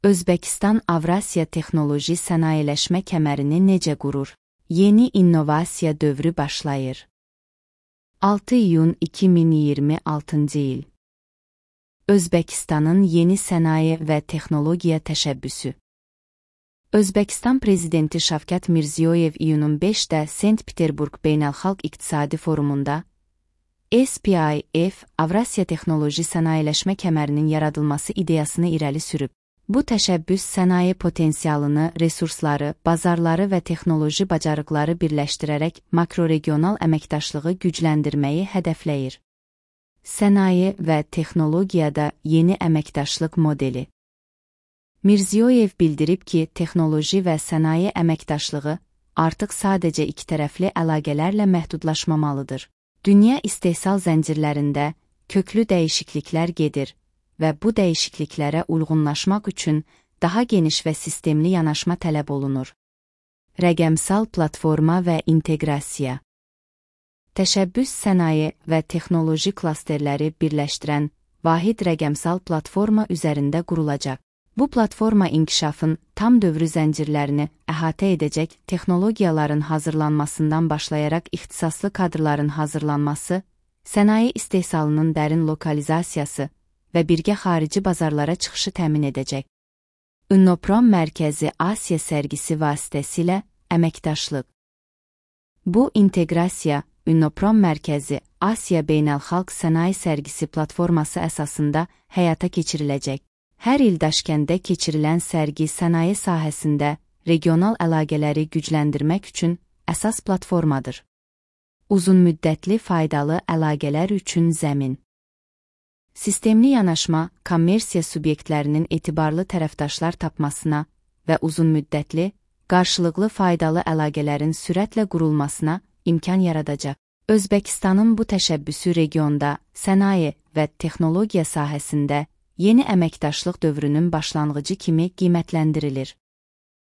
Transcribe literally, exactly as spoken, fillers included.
Özbəkistan Avrasiya texnoloji sənayeləşmə kəmərini necə qurur? Yeni innovasiya dövrü başlayır. altı iyun iki min iyirmi altıncı il. Özbəkistanın yeni sənaye və texnologiya təşəbbüsü. Özbəkistan Prezidenti Şavkat Mirziyoyev iyunun beşində Sankt-Peterburg Beynəlxalq İqtisadi Forumunda S P I F Avrasiya texnoloji sənayeləşmə kəmərinin yaradılması ideyasını irəli sürüb. Bu təşəbbüs sənaye potensialını, resursları, bazarları və texnoloji bacarıqları birləşdirərək makroregional əməkdaşlığı gücləndirməyi hədəfləyir. Sənaye və texnologiyada yeni əməkdaşlıq modeli. Mirziyoyev bildirib ki, texnoloji və sənaye əməkdaşlığı artıq sadəcə ikitərəfli əlaqələrlə məhdudlaşmamalıdır. Dünya istehsal zəncirlərində köklü dəyişikliklər gedir və bu dəyişikliklərə uyğunlaşmaq üçün daha geniş və sistemli yanaşma tələb olunur. Rəqəmsal platforma və inteqrasiya. Təşəbbüs sənaye və texnoloji klasterləri birləşdirən vahid rəqəmsal platforma üzərində qurulacaq. Bu platforma inkişafın tam dövrü zəncirlərini əhatə edəcək texnologiyaların hazırlanmasından başlayaraq ixtisaslı kadrların hazırlanması, sənaye istehsalının dərin lokalizasiyası və birgə xarici bazarlara çıxışı təmin edəcək. Innoprom mərkəzi Asiya sərgisi vasitəsilə əməkdaşlıq. Bu inteqrasiya, Innoprom mərkəzi Asiya Beynəlxalq Sənaye Sərgisi platforması əsasında həyata keçiriləcək. Hər il Daşkəndə keçirilən sərgi sənaye sahəsində regional əlaqələri gücləndirmək üçün əsas platformadır. Uzunmüddətli faydalı əlaqələr üçün zəmin. Sistemli yanaşma, kommersiya subyektlərinin etibarlı tərəfdaşlar tapmasına və uzunmüddətli, qarşılıqlı faydalı əlaqələrin sürətlə qurulmasına imkan yaradacaq. Özbəkistanın bu təşəbbüsü regionda sənaye və texnologiya sahəsində yeni əməkdaşlıq dövrünün başlanğıcı kimi qiymətləndirilir.